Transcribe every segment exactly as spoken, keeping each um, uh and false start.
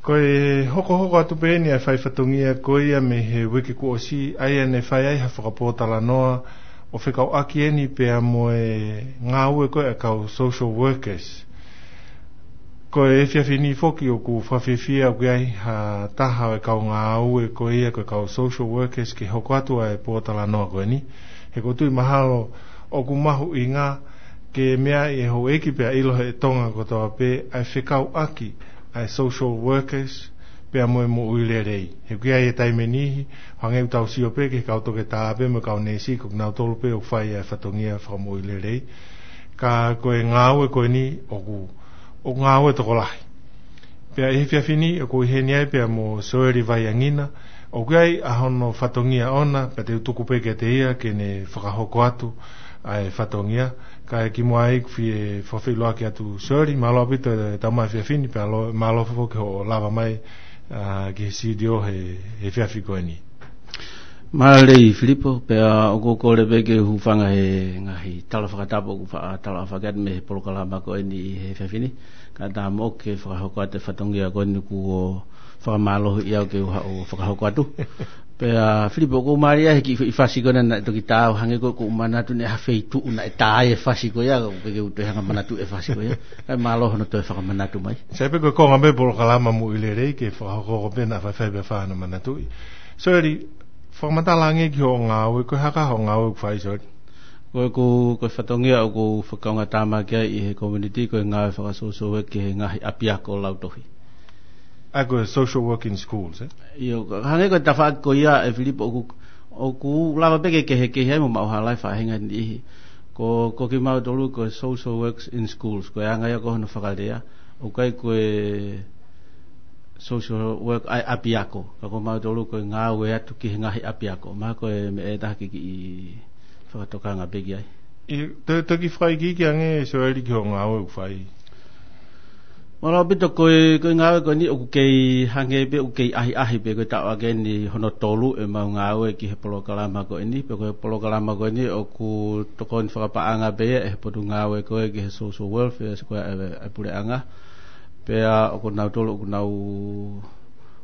Ko e hokohoko atu pē eni ʻa e fai fatongia ko ia mei he uike kuo ʻosi, ʻa ia ne fai ai ha fakapōtalanoa ʻo fekauʻaki eni pea mo e ngāue ko ē ʻa e kau social workers. Ko e efiafi ni foki ʻoku fakafiefia ʻoku ʻi ai ha taha ʻo e kau ngāue ko ia ko e kau social workers ke hoko atu ʻa e pōtalanoa ko eni. He ʻoku ou tui mahalo ʻoku mahuʻinga ke meaʻi ʻe houʻeiki pea ʻilo ʻe he Tonga kotoa pē ʻa e fekauʻaki ʻa e social workers pea mo e moʻui lelei. He ʻoku ʻi ai e taimi ʻe niʻihi, hangē ʻoku tau sio pē ki he kau toketā pē mo e kau neesi, ko kinautolu pē ʻoku fai ʻa e fatongia fakamoʻui lelei. Ka ko e ngāue ko eni ʻoku, ʻoku ngāue tokolahi. Pea ʻi he efiafi ni ʻoku ʻi heni ai pea mo Soeli Vaiangina, ʻoku ʻi ai ʻa hono fatongia ʻoʻona, pea te u tuku pē kiate ia ke ne fakahoko atu ʻa e fatongia. Kae kimuʻa ai ʻoku ou fie fakafeʻiloaki atu Soeli, mālō ʻaupito e tau mai efiafi ni, pea lo-, mālō foki hoʻo lava mai, ā, ki he sitiō he, he efiafi ko eni. Mālō Filipo, pea ʻoku ou kole pē ke u hūfanga he ngaahi tala fakatapu ʻoku faʻa tala fakatapu mei he polokalama ko eni ʻi he efiafi ni. Kae ʻatā moʻoku ke fakahoko atu e fatongia ko eni kuo fakamālohiʻi au ke u haʻu ʻo fakahoko atu. Pea Filipo, ʻoku ou mālie he kiʻi fasi ko ena naʻe toki tā au hangē ko ʻeku manatu naʻe ʻi ai ha feituʻu naʻe tā ai e fasi ko ia, ʻoku ʻikai ke u toe hanga ʻo manatuʻi e fasi ko ia. Kae mālō hono toe fakamanatu mai. Sai pē ko e konga pē polokalama moʻui lelei ke fakahoko pē naʻa faifai pē fānau manatuʻi. Soeli, fakamatala ange ki hoʻo ngāue, ko e hā hoʻo ngāue ʻoku fai, Soeli? Ko ʻeku, ko e fatongia ʻoku ou fakaʻuhingatāmaki ai ʻi he community, ko e ngāue faka-social work ki he ngaahi ʻapiako lautohi. ʻA ia ko e social work in schools, ē? ʻIo, hangē ko e tafaʻaki ko ia ē Filipo ʻoku, ʻoku lava pē ke kehekehe ai mo maʻu hala e faʻahinga ʻe niʻihi. Ko, ko kimautolu ko e social works in schools, ko e anga ia ko hono fakalea, ʻoku ʻikai ko e social work ʻa e ʻapiako, ka ko mautolu ko e ngāue atu ki he ngaahi ʻapiako. Mahalo ko e meʻa ʻe taha ke kiʻi fakatokanga pē ki ai. ʻIo, te, te u kiʻi fakaikiiki ange Soeli ki hoʻo ngāue ʻoku fai. Mālō ʻaupito, ko e, ko e ngāue ko eni ʻoku kei hangē pē, ʻoku kei ʻahiʻahi pē, ko e taʻu ake ni hono tolu ʻemau ngāue ki he polokalama ko eni, pea ko e polokalama ko eni ʻoku tokoni fakapaʻanga pē ia ʻe he potungāue ko ē ki he social welfare, ko e, ʻa e, ʻa e puleʻanga. Pea ʻoku nautolu ʻoku nau,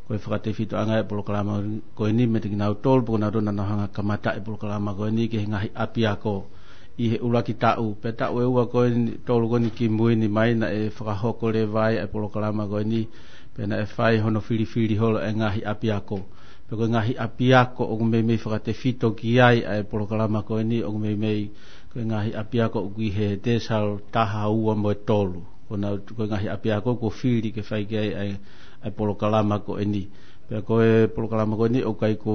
ko e fakatefitoʻanga e polokalama ko eni meiate kinautolu, pea ko nautolu naʻa nau hanga ʻo kamata e polokalama ko eni ki he ngaahi ʻapiako ʻi he ʻuluaki taʻu. Pea taʻu ʻe ua ko eni, tolu ko eni kimui ni mai naʻe fakahoko leva ai e polokalama ko eni, pea naʻe fai hono filifili holo e ngaahi ʻapiako. Pea ko e ngaahi ʻapiako ʻoku meimei fakatefito ki ai ʻa e polokalama ko eni, ʻoku meimei ko e ngaahi ʻapiako ʻoku ʻi he decile taha ua mo e tolu. Ko ʻenau, ko e ngaahi ʻapiako kuo fili ke fai ki ai ʻa e, ʻa e polokalama ko eni. Pea ko e polokalama ko eni ʻoku ʻikai ko,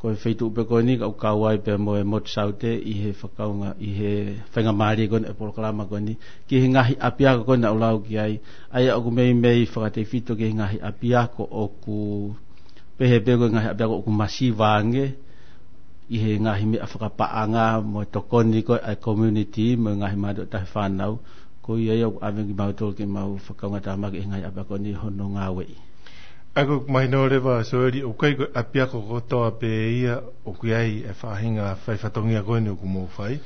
ko e feituʻu pē ko eni ka ʻoku kau ai pea mo e Motu Saute ʻi he fakaʻuhinga, ʻi he faingamālie ko eni e polokalama ko eni ki he ngaahi ʻapiako ko ena ʻoku lau ki ai. ʻA ia ʻoku meimei fakatefito ki he ngaahi ʻapiako ʻoku pehē pē ko e ngaahi ʻapiako ʻoku masiva ange ʻi he ngaahi meʻa fakapaʻanga mo e tokoni ko ē ʻa e community mo e ngaahi mātuʻa taʻefānau. Ko ia ia ʻoku ʻave kimautolu ke mau fakaʻuhingatāmaki he ngaahi ʻapiako ni hono ngāueʻi. ʻA ia ʻoku mahino leva Soeli, ʻoku ʻikai ko e ʻapiako kotoa pē ia ʻoku ʻi ai e faʻahinga fai fatongia ko eni ʻoku mou fai.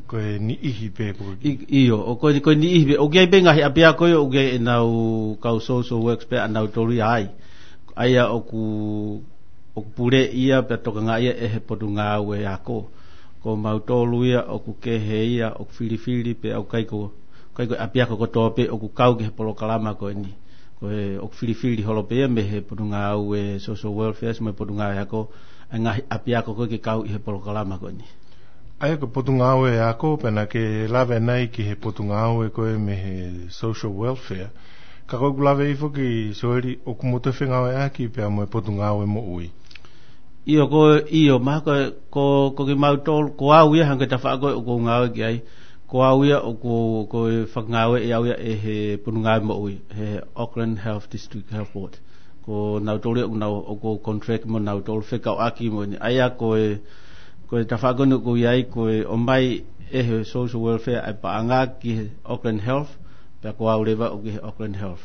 Ko e niʻihi pē ko ē. ʻI-, ʻio, ʻoku, ko e niʻihi pē, ʻoku ʻi ai pē ngaahi ʻapiako ia ʻoku ʻi ai ʻenau kau social works pē ʻanautolu ia ai. ʻA ia ʻoku, ʻoku puleʻi ia pea tokangaʻi ia ʻe he potungāue ako. Ko mautolu ia ʻoku kehe ia, ʻoku filifili pē, ʻoku ʻikai ko, ʻikai ko e ʻapiako kotoa pē ʻoku kau ki he polokalama ko eni. Ko e ʻoku filifili holo pē ia mei he potungāue social welfare mo e potungāue ako, ʻa e ngaahi ʻapiako ko ē ke kau ʻi he polokalama ko eni. ʻA ia ko e potungāue ako, pea naʻa ke lave nai ki he potungāue ko ē mei he social welfare. Ka ko ʻeku lave foki Soeli, ʻoku mou toe fengāueʻaki pea mo e potungāue moʻui. ʻIo, ko, ʻio, mahalo ko, ko, ko kimautolu, ko au ia hangē ko e tafaʻaki ko ē ʻoku ou ngāue ki ai. Ko au ia ʻoku, ko e fakangāueʻi au ia ʻe he potungāue moʻui, he Auckland Health District Health Board. Ko nautolu ia ʻoku nau, ʻoku ou contract mo nautolu fekauʻaki mo eni. ʻA ia ko e, ko e tafaʻaki ko eni ʻoku ou ʻi ai ko e ʻomai ʻe he social welfare ʻa e paʻanga ki he Auckland Health, pea ko au leva ʻoku ʻi he Auckland Health.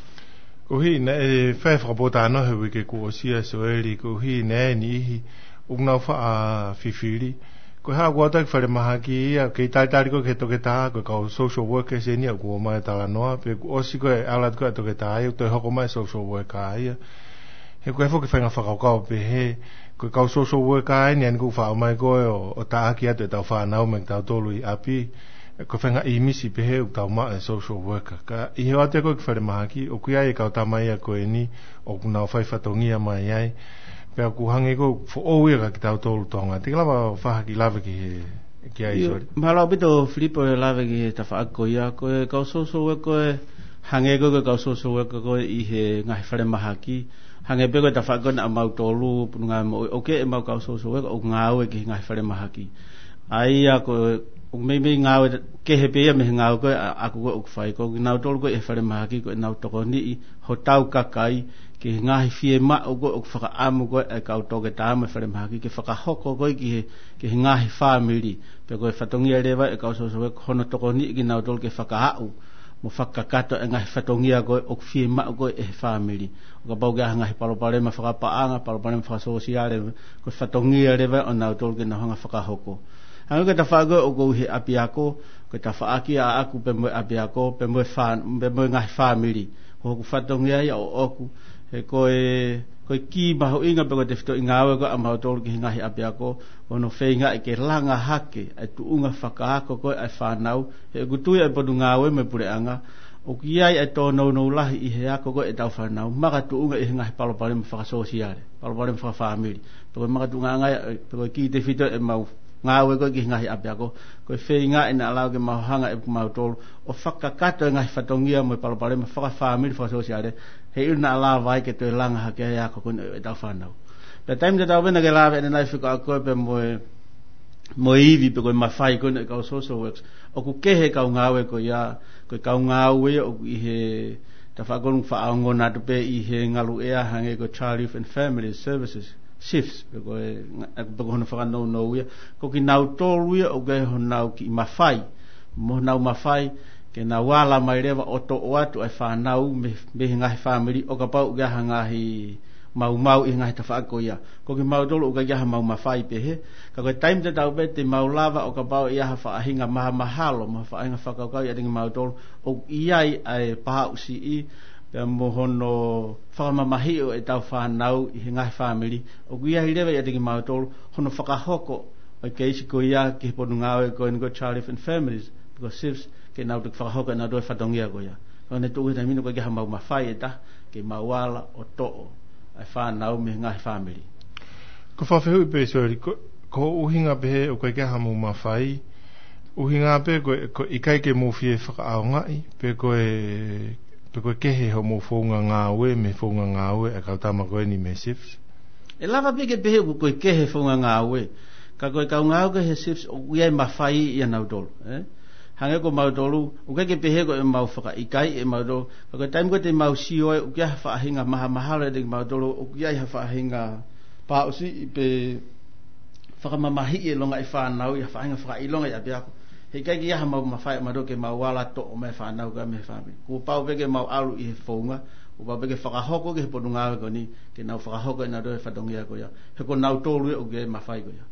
Koeʻuhi naʻe fai fakapōtalanoa he uike kuo ʻosi ʻa Soeli, koeʻuhi naʻe ʻi ai e niʻihi ʻoku nau faʻa fifili Ko e hā, ʻoku ʻoatu ki falemahaki ia, kei talitali ko ē ki he toketā, ko e kau social workers eni ia ʻoku ʻomai e talanoa, pea kuo ʻosi ko ē ʻalu atu ko ē ʻa e toketā ia, ʻoku toe hoko mai e social worker ia. He ko e foki faʻahinga fakakaukau pehē, ko e kau social worker eni ia ʻoku faʻa ʻomai ko ē ʻo, ʻo taʻaki atu ʻetau fānau mo kitautolu ʻi ʻapi, ko e faʻahinga ʻīmisi pehē ʻoku tau maʻu e social worker. Ka ʻi he ʻoatu ko ē ki falemahaki, ʻoku ʻi ai e kau tama ia ko eni, ʻoku nau fai fatongia mai ai, pea ʻoku hangē ko e foʻou ia kia kitautolu Tonga. Te ke lava ʻo fakahā ha kiʻi lave ki he, ki ai, ʻIo, Soli. Mālō ʻaupito Filipo e lave ki he tafaʻaki ko ia, ko e kau social worker ko ē, hangē ko e, ko e kau social worker ko ē ʻi he ngaahi falemahaki, hangē pē ko e tafaʻaki ko ē ʻa mautolu, Potungāue Moʻui, ʻoku ʻi ai ʻemau kau social worker ʻoku ngāue ki he ngaahi falemahaki. ʻA ia ko e, ʻoku meimei ngāue kehe pē ia mei he ngāue ko ē ʻa, ʻaku ko ē ʻoku fai. Ko kinautolu ko ē ʻi he falemahaki ko ʻenau tokoniʻi hotau kakai ki he ngaahi fiemaʻu ko ē ʻoku fakaʻamu ko ē ʻa e kau toketā mo e falemahaki ke fakahoko ko ē ki he, ki he ngaahi fāmili. Pea ko e fatongia leva ʻa e kau social worker ko hono tokoniʻi kinautolu ke fakaaʻu mo fakakakato e ngaahi fatongia ko ē ʻoku fiemaʻu ko ē ʻe he fāmili. ʻO kapau ʻoku ʻi ai ha ngaahi palopalema fakapaʻanga, palopalema fakasōsiale, ko e fatongia leva ʻo nautolu ke nau hanga ʻo fakahoko. Hangē ko e tafaʻaki ko ē ʻoku ou ʻi he ʻapiako, ko e tafaʻaki ʻaʻaku pea mo e ʻapiako, pea mo e fā-, pea mo e ngaahi fāmili. Ko hoku fatongia ia ʻoʻoku, he ko e, ko e kī mahuʻinga pē ko e tefitoʻi ngāue ko ē ʻa mautolu ki he ngaahi ʻapiako, ko hono feingaʻi ke langa hake ʻa e tuʻunga fakaako ko ē ʻa e fānau, he ʻoku tui ʻa e Potungāue mo e Puleʻanga, ʻoku ʻi ai ʻa e tōnounou lahi ʻi he ako ko ē ʻetau fānau, makatuʻunga ʻi he ngaahi palopalema fakasōsiale, palopalema fakafāmili. Pea ko e makatuʻunga ia, pea ko e kī tefito ʻemau ngāue ko ē ki he ngaahi ʻapiako, ko e feingaʻi naʻa lava ke mau hanga ʻe mautolu ʻo fakakakato e ngaahi fatongia mo e palopalema fakafāmili fakasōsiale, heiʻilo naʻa lava ai ke toe langa hake ai e ako ko ē ʻetau fānau. Pea taimi tatau pē naʻa ke lave ʻanenai fika ako pea mo e, mo e ivi pe ko e mafai ko ē ʻa e kau social works. ʻOku kehe e kau ngāue ko ia, ko e kau ngāue ia ʻoku ʻi he tafaʻaki ko ē ʻoku faʻa ongona atu pē ʻi he ngaluʻea hangē ko e Child, Youth and Family Services, SIFS, pe ko e, pe ko hono fakanounou ia. Ko kinautolu ia ʻoku ʻi ai honau kiʻi mafai, mo honau mafai ke nau ala mai leva ʻo toʻo atu ʻa e fānau mei, mei he ngaahi fāmili ʻo kapau ʻoku ʻi ai ha ngaahi maumau ʻi he ngaahi tafaʻaki ko ia. Ko kimautolu ʻoku ʻikai ke ʻi ai haʻamau mafai pehē. Ka ko e taimi tatau pē te mau lava ʻo kapau ʻe ʻi ai ha faʻahinga mahamahalo, mo ha faʻahinga fakakaukau ʻiate kimautolu, ʻoku ʻi ai ʻa e paʻusiʻi, pea mo hono fakamamahiʻi ʻo ʻetau fānau ʻi he ngaahi fāmili, ʻoku ʻi ai leva ʻiate kimautolu hono fakahoko ʻo e keisi ko ia ki he Potungāue ko eni ko e Child, Youth and Families, pe ko e SIFS, ke nau toki fakahoko ʻenau toe fatongia ko ia. Ka ʻoku ne tuʻu he taimi ni ʻoku ʻikai ke ʻi ai haʻamau mafai ʻe taha ke mau ala ʻo toʻo ʻa e fānau mei he ngaahi fāmili. Ko e fakafehuʻi pē, Soli, ko, ko e ʻuhinga pehē ʻoku ʻikai ke ʻi ai haʻamau mafai, ʻuhinga pē ko e, ko e ʻikai ke mou fie fakaʻaongaʻi, pe ko e, pe ko e kehe hoʻomou founga ngāue mei he founga ngāue ʻa e kau tama ko eni mei he SIFS? ʻE lava pē ke pehē ʻoku, ko e kehe founga ngāue. Ka ko e kau ngāue ko ē he SIFS ʻoku ʻi ai e mafai ʻia nautolu, ē? Hangē ko mautolu, ʻoku ʻikai ke pehē ko ʻemau fakaʻikaiʻi ʻe mautolu. Ka ko e taimi ko ē te mau sio ai ʻoku ʻi ai ha faʻahinga mahamahalo ʻiate kimautolu, ʻoku ʻi ai ha faʻahinga paʻusiʻi pe fakamamahiʻi e longaʻi fānau ʻi ha faʻahinga fakaʻilonga ʻi ʻapiako, he ʻikai ke ʻi ai haʻamau mafai ʻe mautolu ke mau ala toʻo mai e fānau ko ia mei he fāmili. Kuo pau pē ke mau ʻalu ʻi he founga, kuo pau pē ke fakahoko ki he Potungāue ko eni ke nau fakahoko ʻenau toe fatongia ko ia. He ko nautolu ia ʻoku ʻi ai e mafai ko ia.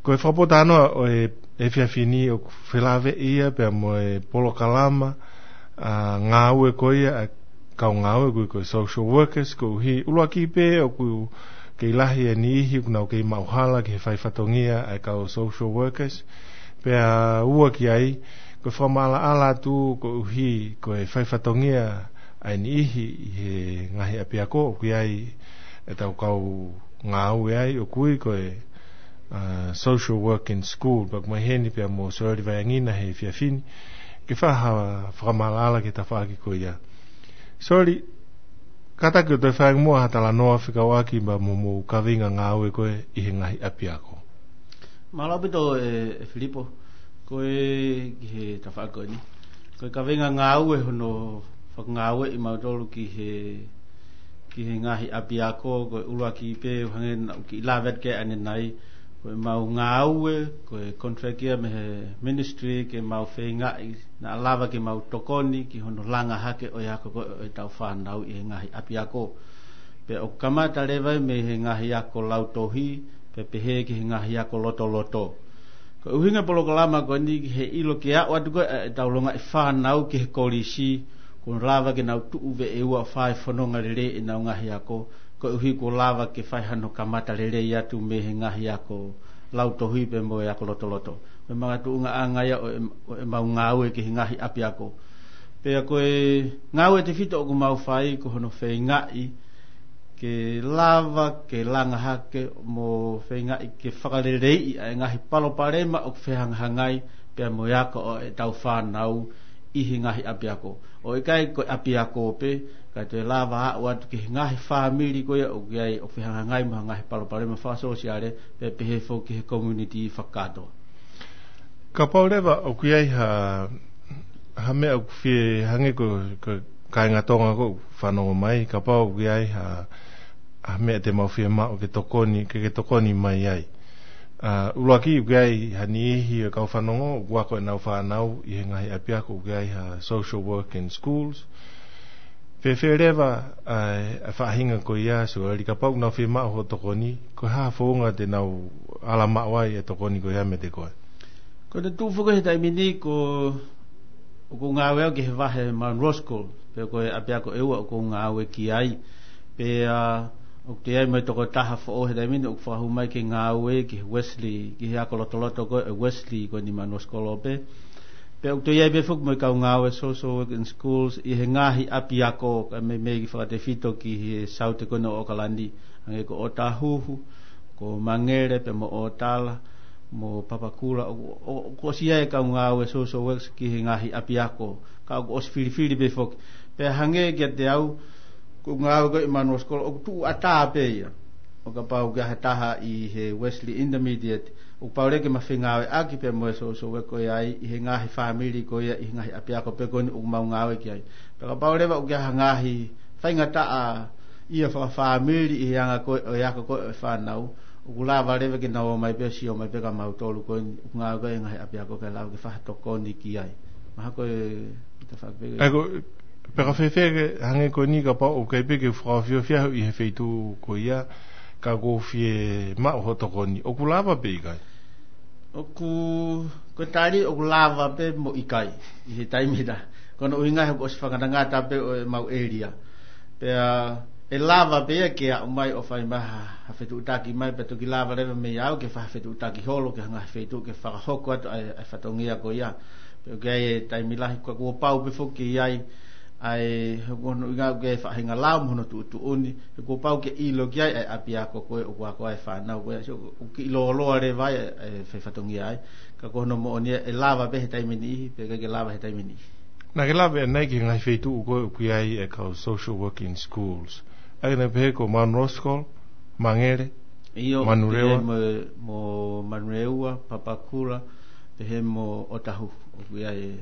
Ko e fakapōtalanoa ʻo e, efiafi ni ʻoku felāveʻi ia pea mo e polokalama, ʻa, ngāue ko ia ʻa e kau ngāue ko ē ko e social workers, koeʻuhi ʻuluaki pē ʻoku kei lahi e niʻihi ʻoku nau kei maʻuhala ki he fai fatongia ʻa e kau social workers. Pea ua ki ai, ko e fakamaʻalaʻala atu koeʻuhi ko e fai fatongia ʻa e niʻihi ʻi he ngaahi ʻapiako ʻoku ʻi ai ʻetau kau ngāue ai ʻoku ui ko e, ʻa, social work in school. Pea ʻoku ʻomai heni pea mo Soli Vaiangina he efiafi ni ke fai ha fakamaʻalaʻala ki he tafaʻaki ko ia. Soli, kātaki ʻo toe fai ange muʻa ha talanoa fekauʻaki mo hoʻomou kaveinga ngāue ko ē ʻi he ngaahi ʻapiako. Mālō ʻaupito ē, ē Filipo, ko e ki he tafaʻaki ko eni. Ko e kaveinga ngāue hono fakangāueʻi mautolu ki he, ki he ngaahi ʻapiako, ko e ʻuluaki pē, hangē naʻa ku kiʻi lave atu ki ai ʻanenai, ko ʻemau ngāue, ko e contract ia mei he ministry ke mau feingaʻi naʻa lava ke mau tokoni ki hono langa hake ʻo e ako ko ē ʻo ʻetau fānau ʻi he ngaahi ʻapiako. Pea ʻoku kamata leva ia mei he ngaahi ako lautohi, pea pehē ki he ngaahi ako lotoloto. Ko e ʻuhinga e polokalama ko eni ki he ʻilo ke aʻu atu ko ē ʻetau longaʻi fānau ki he kolisi, kuo lava ke nau tuʻu veʻe ua ʻo fai fononga lelei ʻenau ngaahi ako, koeʻuhi kuo lava ke fai hano kamata lelei atu mei he ngaahi ako lautohi pea mo e ako lotoloto. Ko e makatuʻungaʻanga ia ʻo e, ʻo ʻemau ngāue ki he ngaahi ʻapiako. Pea ko e ngāue tefito ʻoku mau fai ko hono feingaʻi ke lava ke langa hake mo feingaʻi ke fakaleleiʻi ʻa e ngaahi palopalema ʻoku fehangahangai pea mo e ako ʻo ʻetau fānau ʻi he ngaahi ʻapiako. ʻOku ʻikai ko e ʻapiako pē, kae toe lava aʻu atu ki he ngaahi fāmili ko ia ʻoku ʻi ai ʻoku fehangahangai mo ha ngaahi palopalema fakasōsiale, pea pehē foki ki he community fakakātoa. Kapau leva ʻoku ʻi ai ha, ha meʻa ʻoku fie hangē ko, ko e kāinga Tonga ʻoku fanongo mai, kapau ʻoku ʻi ai ha, ha meʻa te mau fiemaʻu ke tokoni, ke, ke tokoni mai ai. ʻA, ʻuluaki ʻoku ʻi ai ha niʻihi ʻo e kau fanongo ʻoku ako ʻenau fānau ʻi he ngaahi ʻapiako, ʻoku ʻi ai ha social work in schools. Fēfē leva ʻa e, ʻa e faʻahinga ko ia, Sueli, kapau ʻoku nau fiemaʻu hoʻo tokoni, ko e hā ha founga te nau ala maʻu ai e tokoni ko ia meiate koe? Ko e tuʻu foki he taimi ni ko, ʻoku ou ngāue au ki he vahe Munro School, pea ko e ʻapiako ʻe ua ʻoku ou ngāue ki ai. Pea ʻoku toe ʻi ai mo e tokotaha foʻou he taimi ni ʻoku fakahū mai ke ngāue ki he Wesley, ki he ako lotoloto ko ē Wesley ko eni Munro School pē. Pea ʻoku toe ʻi ai pē foki mo e kau ngāue social work in schools ʻi he ngaahi ʻapiako, kae meimei fakatefito ki he saute ko eni ʻo ʻOkalani, hangē ko ʻŌtāhuhu, ko Mangere pea mo ʻŌtala, mo Papakura, ʻo, ʻo, ʻoku ʻosi ʻi ai e kau ngāue social works ki he ngaahi ʻapiako, ka ʻoku ʻosi filifili pē foki. Pea hangē kiate au, ko e ngāue ko ē ʻi Munro School, ʻoku tuʻu ʻatā pē ia. ʻO kapau ʻoku ʻi ai ha taha ʻi he Wesley Intermediate, ʻoku pau leva ke ma fengāueʻaki pea mo e social work ko ia ʻi he ngaahi fāmili ko ia ʻi he ngaahi ʻapiako pē ko eni ʻoku mau ngāue ki ai. Pea kapau leva ʻoku ʻi ai ha ngaahi faingataʻaʻia fakafāmili ʻi he anga ko ē ʻo e ako ko ē ʻo e fānau, ʻoku lava leva ke nau ō mai pē, sio mai pē kia mautolu ko eni ʻoku ngāue ko ē ʻi he ngaahi ʻapiako ke lava ke fai ha tokoni ki ai. Mahalo ko e tafaʻaki pē ko ia. ʻA ia ko, pea ka fēfē ke hangē ko eni kapau ʻoku ʻikai pē ke fakaofiofi au ʻi he feituʻu ko ia, ka ʻoku ou fiemaʻu hoʻo tokoni, ʻoku lava pē ʻikai? ʻOku, ko e tali ʻoku lava pē mo ʻikai, ʻi he taimi na. Ko hono ʻuhinga he kuo ʻosi fakangatangata pē ʻo ʻemau ʻēlia. Pea ʻe lava pē ia ke aʻu mai ʻo fai mai ha, ha fetuʻutaki mai, pea toki lava leva mei au ke fai ha fetuʻutaki holo ki ha ngaahi feituʻu ke fakahoko atu ʻa e, ʻa e fatongia ko ia. Pea ʻoku ʻi ai e taimi lahi, ka kuo pau pē foki ke ʻi ai, ʻa e, he ko hono ʻuhinga ʻoku ʻi ai e faʻahinga lao mo hono tuʻutuʻuni, he kuo pau ke ʻilo ki ai ʻa e ʻapiako ko ē ʻoku ako ai e fānau ko ē, so, ʻoku kiʻi lōloa leva ai e, e fai fatongia ai, ka ko hono moʻoni ʻe lava pē he taimi niʻihi, pea ʻikai ke lava he taimi niʻihi. Naʻa ke lave ʻanenai ki he ngaahi feituʻu ko ē ʻoku ʻi ai e kau social work in schools. ʻA ia naʻe pehē ko Munro School, Mangere, ʻIo, Manurewa. Pehē mo, mo Manurewa, Papakura, pehē mo ʻŌtāhuhu, ʻoku ʻi ai e.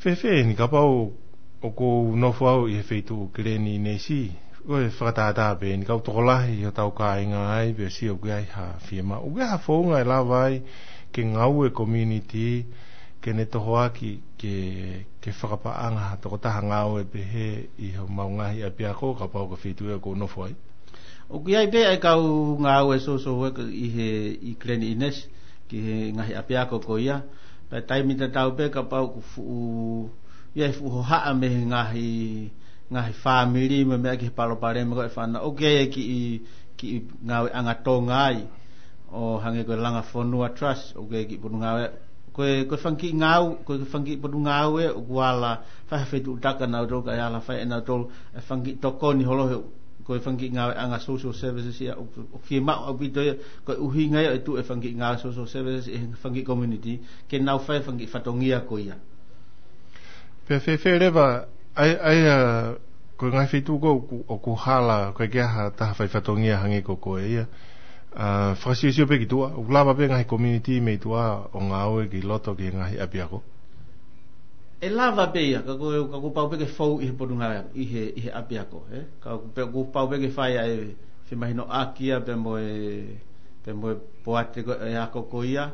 Fēfē eni kapau ʻoku ou nofo au ʻi he feituʻu Kileni ʻInesi, ko e fakatātā pē eni, ka ʻoku tokolahi hotau kāinga ai, pea sio ʻoku ʻi ai ha fiemaʻu. ʻOku ʻi ai ha founga ʻe lava ai ke ngāue community, ke ne tohoaki, ke, ke fakapaʻanga ha tokotaha ngāue pehē ʻi homau ngaahi ʻapiako, kapau ko e feituʻu ʻoku ou nofo ai? ʻOku ʻi ai pē ʻa e kau ngāue social work ʻi he, ʻi Kileni ʻInesi, ki he ngaahi ʻapiako ko ia. Pea taimi tatau pē kapau ʻoku fuʻu, ʻi ai fuʻu hohaʻa mei he ngaahi, ngaahi fāmili mo e meʻa ki he palopalema ko ē ʻa e fānau, ʻoku ʻi ai e kiʻi, kiʻi ngāueʻanga Tonga ai. ʻO hangē ko e Langa Fonua Trust, ʻoku ʻi ai e kiʻi potungāue, ko e, ko e fanga kiʻi ngāu-, ko e fanga kiʻi potungāue ʻoku ala fai ha fetuʻutaki ʻanautolu kae ala fai ʻe nautolu e fanga kiʻi tokoni holo he, ko e fanga kiʻi ngāueʻanga social services ia ʻoku, ʻoku fiemaʻu ʻaupito ia, ko e ʻuhinga ia ʻe tuʻu e fanga kiʻi ngāue social services ʻi he fanga kiʻi community, ke nau fai e fanga kiʻi fatongia ko ia. Pea fēfē leva, ʻa ia, ʻa ia, ko e ngaahi feituʻu ko ē ʻoku, ʻoku hala, ʻoku ʻikai ke ʻi ai ha taha fai fatongia hangē ko koe ia. ʻA, fakasiosio pē ki tuʻa, ʻoku lava pē ngaahi community mei tuʻa ʻo ngāue ki loto ki he ngaahi ʻapiako? ʻE lava pē ia, ka ko, ka kuo pau pē ke fou ʻi he potungāue, ʻi he, ʻi he ʻapiako, ē? Ka kuo pē, kuo pau pē ke fai ʻa e femahinoʻaki ia pea mo e, pea mo e poate ko ē ako ko ia.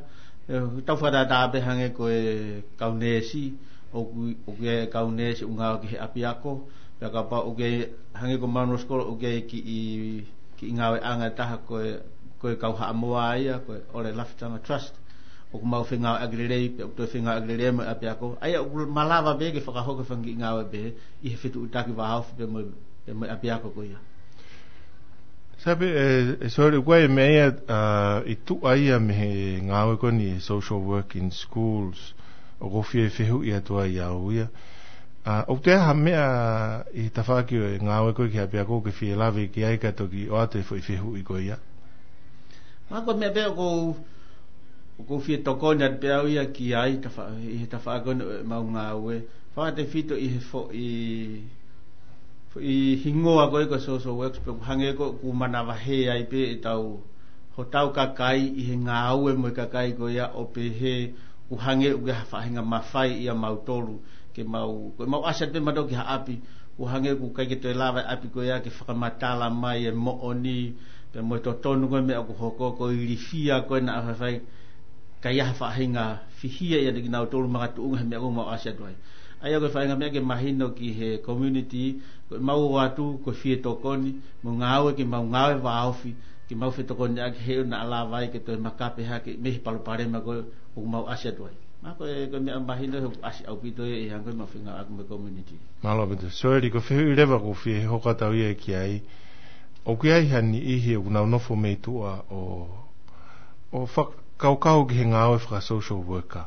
ʻE, tau fakatātā pē hangē ko e kau neesi, ʻoku, ʻoku ʻi ai e kau neesi ʻoku ngāue ki he ʻapiako, pea kapau ʻoku ʻi ai, hangē ko Munro School ʻoku ʻi ai e kiʻi, kiʻi ngāueʻanga ʻe taha ko e, ko e kau Haʻamoa ia, ko e ʻOle Lafitanga Trust. ʻoku mau fengāueʻaki lelei, pea ʻoku toe fengāueʻaki lelei mo e ʻapiako. ʻA ia ʻoku malava pē ke fakahoko e fanga kiʻi ngāue pehē ʻi he fetuʻutaki vāofi pea mo, pea mo e ʻapiako ko ia. Sai pē, ē, ē, Soeli, ʻoku ʻi ai e meʻa ia, ā, ʻi tuʻa ia mei he ngāue ko eni, social work in schools, ʻoku ou fie fehuʻi atu ai au ia. Ā, ʻoku ʻi ai ha meʻa ʻi he tafaʻaki ʻo e ngāue ko ē ki he ʻapiako ʻoku ke fie lave ki ai kae toki ʻoatu e foʻi fehuʻi ko ia? Mahalo ko e meʻa pē ʻoku ou, ʻoku ou fie tokoni atu pē au ia ki ai, tafa-, ʻi he tafaʻaki ko eni ʻo ʻemau ngāue. Fakatefito ʻi he foʻi, foʻi hingoa ko ē ko e social works, pea ʻoku hangē ko ʻoku manavahē ai pē ʻetau, hotau kakai ʻi he ngāue mo e kakai ko ia ʻo pehē ʻoku hangē ʻoku ʻi ai ha faʻahinga mafai ʻia mautolu ke mau, ko ʻemau ʻasi atu pē mautolu ki ha ʻapi, ʻoku hangē ʻoku ʻikai ke toe lava e ʻapi ko ia ke fakamatala mai e moʻoni, pea mo e totonu ko e meʻa ʻoku hoko, ko e ilifia ko ē naʻa faifai, ka ʻi ai ha faʻahinga fihia ʻiate kinautolu makatuʻunga he meʻa ʻoku mau ʻasi atu ai. ʻA ia ko e faʻahinga meʻa ke mahino ki he community, ko ʻemau ō atu, ko e fie tokoni, mo ngāue ke mau ngāue vāofi, ke mau fetokoniʻaki he ʻoku naʻa lava ai ke toe makape hake mei he palopalema ko ē ʻoku mau ʻasi atu ai. Mahalo ko e, ko e meʻa mahino he ʻoku ʻasi ʻaupito ia ʻi he anga ko ē ʻemau fengāueʻaki mo e community. Mālō ʻaupito. Soeli, ko e fehuʻi leva ʻoku ou fie hoko atu au ia ki ai. ʻOku ʻi ai ha niʻihi ʻoku nau nofo mei tuʻa ʻo, ʻo fakakaukau ki he ngāue faka-social worker.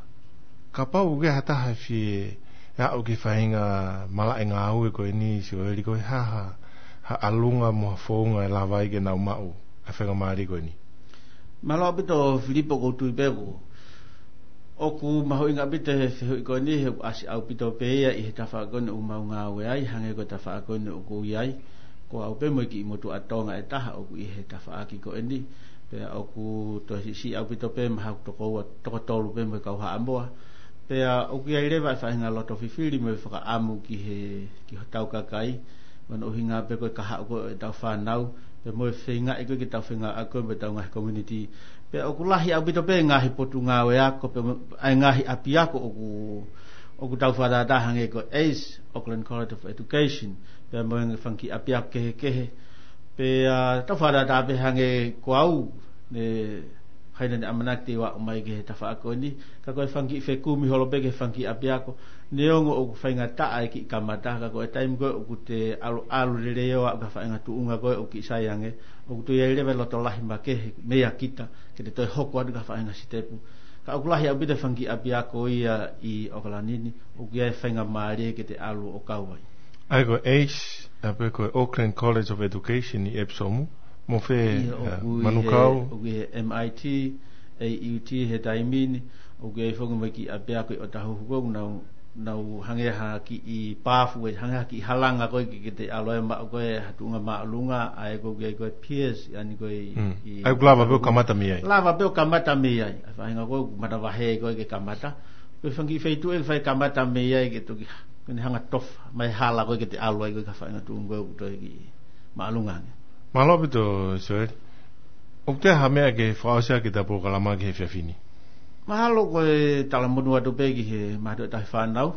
Kapau ʻoku ʻi ai ha taha ʻe fie aʻu ki he faʻahinga malaʻe ngāue ko eni, Soeli, ko e hā ha, ha ʻalunga mo ha founga ʻe lava ai ke nau maʻu ʻa e faingamālie ko eni? Mālō ʻaupito Filipo, ʻoku ou tui pē ʻoku, ʻoku mahuʻinga ʻaupito e fehuʻi ko eni, he ʻoku ʻasi ʻaupito pē ia ʻi he tafaʻaki ko eni ʻoku mau ngāue ai, hangē ko e tafaʻaki ko eni ʻoku ou ʻi ai, ko au pē mo e kiʻi motuʻa Tonga ʻe taha ʻoku ʻi he tafaʻaki ko eni, pea ʻoku toe siʻisiʻi ʻaupito pē mei haʻaku toko ua, toko tolu pē mo e kau Haʻamoa. Pea ʻoku ʻi ai leva e faʻahinga loto fifili mo e fakaʻamu ki he, ki hotau kakai, mo hono ʻuhinga pē ko e kahaʻu ko ē ʻetau fānau, pea mo e feingaʻi ko ē ke tau fengāueʻaki ko ē mo ʻetau ngaahi community. Pea ʻoku lahi ʻaupito pē ngaahi potungāue ako, pea mo e ngaahi ʻapiako ʻoku, ʻoku tau fakatātā, hangē ko e ACE, Auckland College of Education, pea mo e fanga kiʻi ʻapiako kehekehe. Pea tau fakatātā pē, hangē ko au, ne, ʻikai naʻa ne ʻamanaki te u aʻu mai ki he tafaʻaki ko eni, ka ko e fanga kiʻi fekumi holo pē ki he fanga kiʻi ʻapiako, neongo ʻoku faingataʻa e kiʻi kamata, ka ko e taimi ko ē ʻoku te ʻalu, ʻalu lelei ʻo aʻu ki ha faʻahinga tuʻunga ko ē ʻoku kiʻi sai ange, ʻoku toe ʻi ai leva e loto lahi makehe meia kita ke te toe hoko atu ki ha faʻahinga sitepu. Ka ʻoku lahi ʻaupito e fanga kiʻi ʻapiako ia ʻi ʻOkalani ni, ʻoku ʻi ai e faingamālie ke te ʻalu ʻo kau ai. ʻA ia ko e ACE, ʻa ia pē ko e Auckland College of Education ʻi Epsom, mo fē, ʻIo, ʻa, ʻoku ʻi he, Manukau? ʻOku ʻi he MIT, AUT he taimi ni, ʻoku ʻi ai foki mo e kiʻi ʻapiako ʻi ʻOtahuhu ko ē, ʻoku nau, nau hangē ha kiʻi pāfu, ʻe hangē ha kiʻi halanga ko ē ke, ke te ʻalu ai ʻo maʻu ko ē ha tuʻunga māʻolunga, ʻa ia ko ē ko e Pearce, ʻa ia ko ē ʻi, Mm. ʻI ʻA ia ʻoku lava pē ʻo kamata mei ai. Lava pē ʻo kamata mei ai. ʻA e faʻahinga ko ē ʻoku manavahē ko ē ke kamata. Ko e fanga kiʻi feituʻu ʻe fai kamata mei ai ke toki, ke ne hanga tofa mai hala ko ē ke te ʻalu ai ko ē ki ha faʻahinga tuʻunga ko ē ʻoku toe kiʻi māʻolunga ange. Mālō ʻaupito, Soeli. ʻOku ʻi ai ha meʻa ke fakaʻosi ʻaki ʻeta polokalama ki he efiafi ni? Mahalo ko e talamonū atu pē ki he mātuʻa tauhi fānau.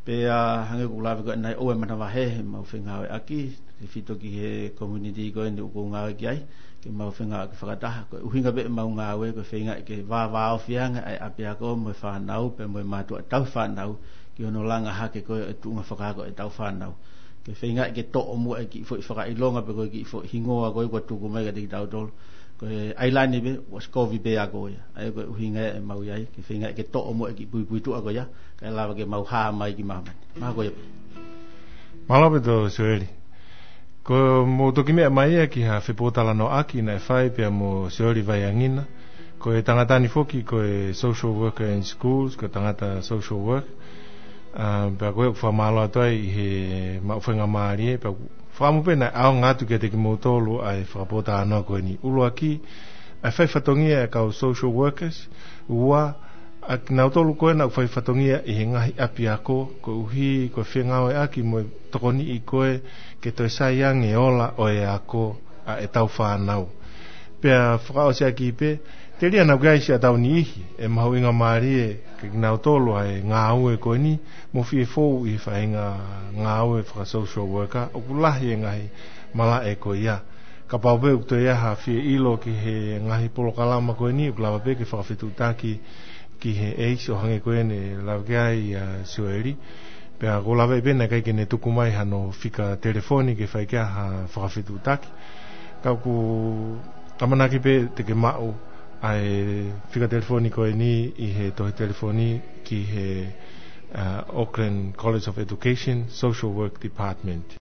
Pea hangē ko ʻeku lave ko ē ʻanenai, ʻoua ʻe manavahē heʻemau fengāueʻaki, tefito ki he community ko eni ʻoku ou ngāue ki ai, ke mau fengāueʻaki fakataha. Ko e ʻuhinga pē ʻemau ngāue, ko e feingaʻi ke vāvāofi ange ʻa e ʻapiako mo e fānau, pea mo e mātuʻa tauhi fānau, ki hono langa hake ko ē e tuʻunga fakaako ʻetau fānau. Ke feingaʻi ke toʻo muʻa e kiʻi foʻi fakaʻilonga pe ko e kiʻi foʻi hingoa ko ē kuo tuku mai kiate kitautolu. Ko e ʻailani pē, ʻosi kovi pē ako ia. ʻA ia ko e ʻuhinga ia ʻemau ʻi ai, ke feingaʻi ke toʻo muʻa e kiʻi puipuituʻa ko ia, kae lava ke mau hā mai ki māmani. Mahalo ko ia pē. Mālō ʻaupito Soeli. Ko hoʻomou toki meʻa mai ia ki ha fepōtalanoaʻaki naʻe fai pea mo Soeli Vaiangina. Ko e tangata ni foki ko e social worker in schools, ko e tangata social work. ʻA, pea ko e fakamālō atu ai ʻi he maʻu faingamālie, pea fakaʻamu pē naʻe ʻaonga atu kiate kimoutolu ʻa e fakapōtalanoa ko eni. ʻUluaki, ʻa e fai fatongia ʻa e kau social workers. Ua, ʻa kinautolu ko ē naʻa nau fai fatongia ʻi he ngaahi ʻapiako, koeʻuhi ko e fengāueʻaki mo e tokoniʻi ko ē ke toe sai ange e ola ʻo e ako ʻa ʻetau fānau. Pea fakaʻosi ʻaki pē, telia naʻa ʻoku ʻi ai siʻa tau niʻihi ʻe mahuʻingamālie kiate kinautolu ʻa e ngāue ko eni, mo fie fou ʻi he faʻahinga ngāue faka-social worker, ʻoku lahi e ngaahi malaʻe ko ia. Kapau pē ʻoku toe ʻi ai ha fie ʻilo ki he ngaahi polokalama ko eni, ʻoku lava pē ke fakafetuʻutaki ki he ʻeisi ʻo hangē ko eni ʻoku lave ki ai ʻa Sioeli. Pea ʻoku lava pē naʻe ʻikai ke ne tuku mai hano fika telefoni ke fai ki ai ha fakafetuʻutaki. Ka ʻoku ʻamanaki pē te ke maʻu ʻa e fika telefoni ko eni ʻi he tohi telefoni ki he, ʻa, Auckland College of Education Social Work Department.